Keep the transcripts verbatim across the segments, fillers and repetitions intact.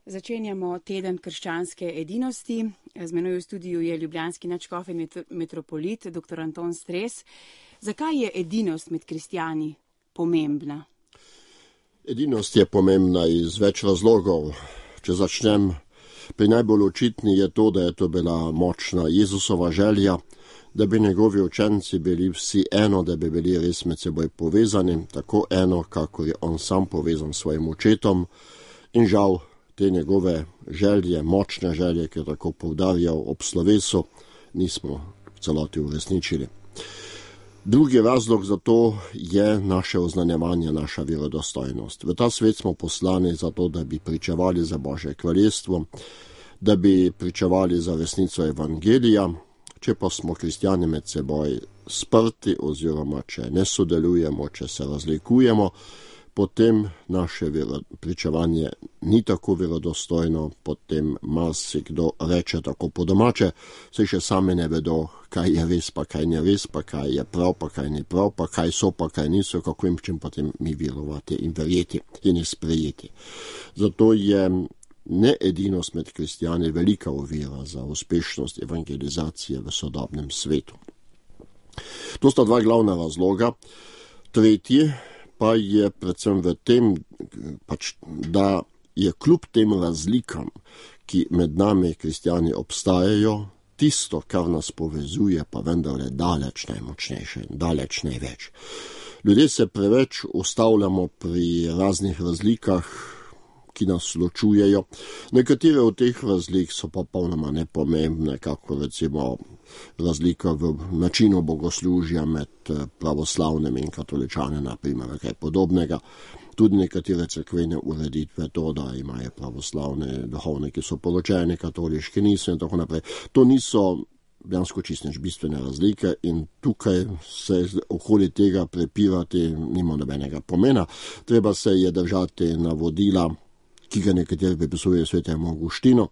Začenjamo teden krščanske edinosti. Z menoj v studiu je ljubljanski nadškof in metropolit, doktor Anton Stres. Zakaj je edinost med kristjani pomembna? Edinost je pomembna iz več razlogov. Če začnem, pri najbolj očitni je to, da je to bila močna Jezusova želja, da bi njegovi učenci bili vsi eno, da bi bili res med seboj povezani, tako eno, kakor je on sam povezan s svojim očetom. In žal, te njegove želje, močne želje, ki je tako poudarjal ob slovesu, nismo v celoti uresničili. Drugi razlog za to je naše oznanjevanje, naša verodostojnost. V ta svet smo poslani zato, da bi pričevali za Božje kraljestvo, da bi pričevali za resnico evangelija. Če pa smo kristjani med seboj sprti oziroma če ne sodelujemo, če se razlikujemo, potem naše pričevanje ni tako verodostojno, potem marsikdo reče tako po domače, saj še sami ne vedo, kaj je res, pa kaj ni res, pa kaj je prav, pa kaj ni prav, pa kaj so, pa kaj niso, kako jim čim potem mi verovati in verjeti in jih sprejeti. Zato je needinost med kristjani velika ovira za uspešnost evangelizacije v sodobnem svetu. To sta dva glavna razloga. Tretji pa je predvsem v tem, pač, da je kljub tem razlikam, ki med nami kristjani obstajajo, tisto, kar nas povezuje, pa vendarle daleč najmočnejše, daleč največ. Ljudje se preveč ustavljamo pri raznih razlikah, ki nas ločujejo. Nekatere od teh razlik so pa popolnoma nepomembne, kako recimo razlika v načinu bogoslužja med pravoslavnimi in katoličani, na primer, kaj podobnega. Tudi nekatere cerkvene ureditve, to, da imajo pravoslavne duhovniki, so poročeni, katoliški niso in tako naprej. To niso dejansko čisto nič bistvene razlike in tukaj se okoli tega prepirati nima nobenega pomena. Treba se je držati navodila, ki ga nekateri pripisuje svetemu Avguštinu,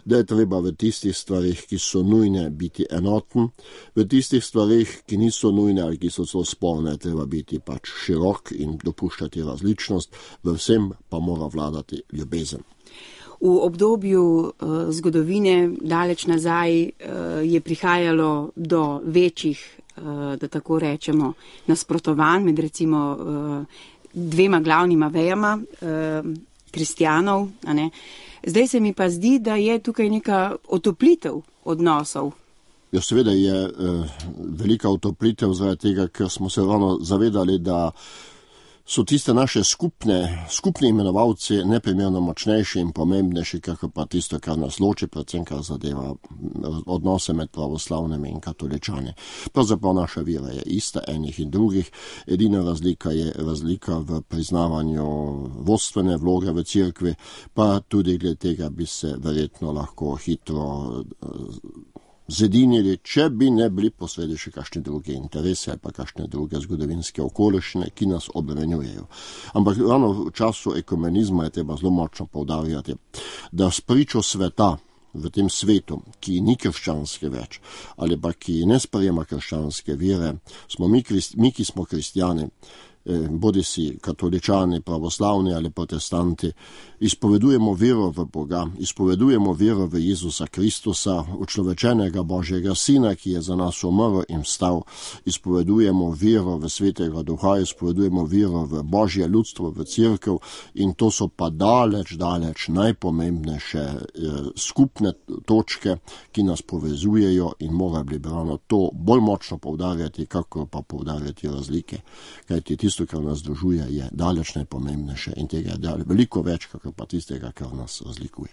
da je treba v tistih stvarih, ki so nujne, biti enoten, v tistih stvarih, ki niso nujne ali ki so celo sporne, treba biti pač širok in dopuščati različnost, v vsem pa mora vladati ljubezen. V obdobju uh, zgodovine daleč nazaj uh, je prihajalo do večjih, uh, da tako rečemo, nasprotovanj med recimo uh, dvema glavnima vejama uh, kristjanov, a ne. Zdaj se mi pa zdi, da je tukaj neka otoplitev odnosov. Ja, seveda je eh, velika otoplitev zaradi tega, ker smo se ravno zavedali, da so tiste naše skupne, skupni imenovalci neprimerno močnejši in pomembnejši, kakor pa tisto, kar nas loči, predvsem kar zadeva odnose med pravoslavnimi in katoličani. Pravzaprav naša vera je ista enih in drugih, edina razlika je razlika v priznavanju vodstvene vloge v cerkvi, pa tudi glede tega bi se verjetno lahko hitro zedinili, če bi ne bili posredi še kakšne druge interese ali pa kakšne druge zgodovinske okoliščine, ki nas obremenjujejo. Ampak ravno v času ekumenizma je treba zelo močno poudarjati, da spričo sveta v tem svetu, ki ni krščanske več, ali pa ki ne sprejema krščanske vere, smo mi, mi ki smo kristjani, bodi si katoličani, pravoslavni ali protestanti, izpovedujemo vero v Boga, izpovedujemo vero v Jezusa Kristusa, učlovečenega Božjega Sina, ki je za nas umrl in vstal, izpovedujemo vero v Svetega Duha, izpovedujemo vero v Božje ljudstvo, v cerkev in to so pa daleč, daleč najpomembnejše eh, skupne točke, ki nas povezujejo in mora bi ravno to bolj močno poudarjati, kako pa poudarjati razlike. Kajti tisto, kar nas združuje, je daleč najpomembnejše in tega je veliko več, kakor pa tistega, kar nas razlikuje.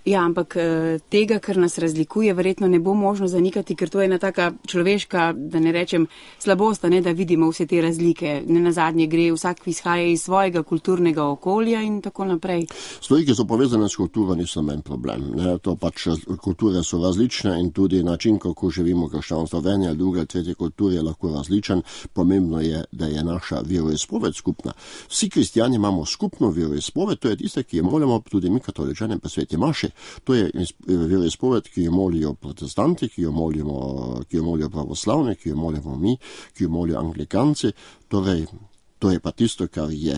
Ja, ampak tega, kar nas razlikuje, verjetno ne bo možno zanikati, ker to je ena taka človeška, da ne rečem, slabost, ne, da vidimo vse te razlike. Ne nazadnje gre, vsak izhaja iz svojega kulturnega okolja in tako naprej. Stvari, ki so povezane s kulturo, niso menj problem. Ne? To pač kulture so različne in tudi način, kako živimo krščanstvo v eni ali druge ali tretje kulturi, je lahko različen. Pomembno je, da je naša veroizpoved skupna. Vsi kristjani imamo skupno veroizpoved, to je tiste, ki jo molimo tudi mi katoličani pa sveti maši. To je veroizpoved, ki jo molijo protestanti, ki jo molimo, ki jo molijo pravoslavni, ki jo molimo mi, ki jo molijo anglikanci. Torej, To je pa tisto, kar je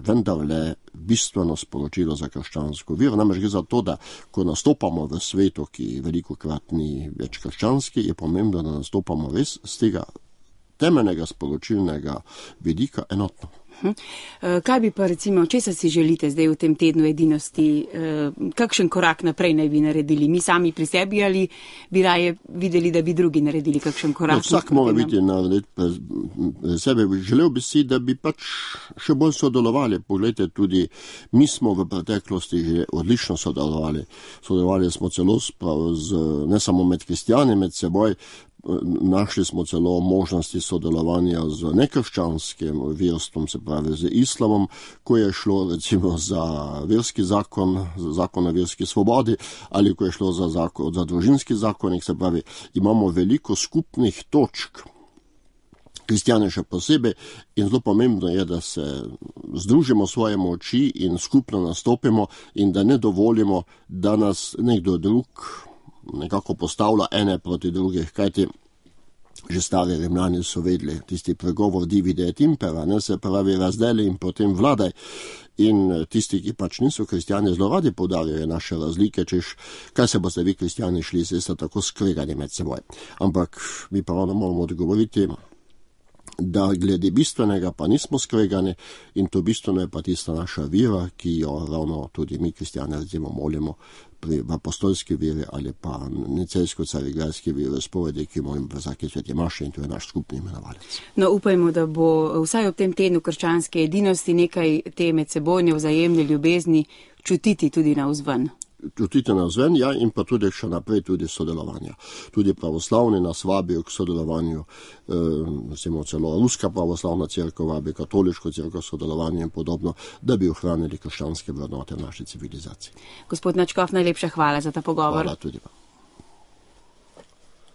vendarle bistveno sporočilo za krščansko vero. Namreč gre za to, da ko nastopamo v svetu, ki veliko krat ni več krščanski, je pomembno, da nastopamo res z tega temeljnega sporočilnega vidika enotno. Kaj bi pa recimo, česa si želite zdaj v tem tednu edinosti, kakšen korak naprej naj bi naredili? Mi sami pri sebi ali bi raje videli, da bi drugi naredili kakšen korak? No, vsak mora biti narediti pri sebe. Želel bi si, da bi pač še bolj sodelovali. Poglejte, tudi mi smo v preteklosti že odlično sodelovali. Sodelovali smo celo z, ne samo med kristjani, med seboj. Našli smo celo možnosti sodelovanja z nekrščanskim verstvom, se pravi z islamom, ko je šlo recimo za verski zakon, za zakon o verski svobodi, ali ko je šlo za, zakon, za družinski zakonik, se pravi, imamo veliko skupnih točk, kristjane še posebej, in zelo pomembno je, da se združimo svoje moči in skupno nastopimo in da ne dovolimo, da nas nekdo drug nekako postavlja ene proti drugih, kajti že stari Rimljani so vedeli tisti pregovor divide et impera, ne, se pravi razdeli in potem vladaj. In tisti, ki pač niso kristjani, zelo radi poudarjajo naše razlike, češ, kaj se boste vi kristjani šli, se ste tako skregani med seboj. Ampak mi pa ravno moramo odgovoriti, da glede bistvenega pa nismo skregani in to bistveno je pa tista naša vera, ki jo ravno tudi mi kristjani recimo molimo pri apostolski veri ali pa nicejsko-carigrajski veri spovedi, ki molimo v vsaki sveti maši in to je naš skupni imenovalec. No, upajmo, da bo vsaj ob tem tednu krščanske edinosti nekaj te medsebojne vzajemne ljubezni čutiti tudi navzven. Čutiti navzven, ja, in pa tudi še naprej tudi sodelovanja. Tudi pravoslavni nas vabijo k sodelovanju, recimo celo Ruska pravoslavna cerkev vabi, katoliško cerkev sodelovanje in podobno, da bi ohranili krščanske vrednote v naši civilizaciji. Gospod Nadškof, najlepša hvala za ta pogovor. Hvala tudi.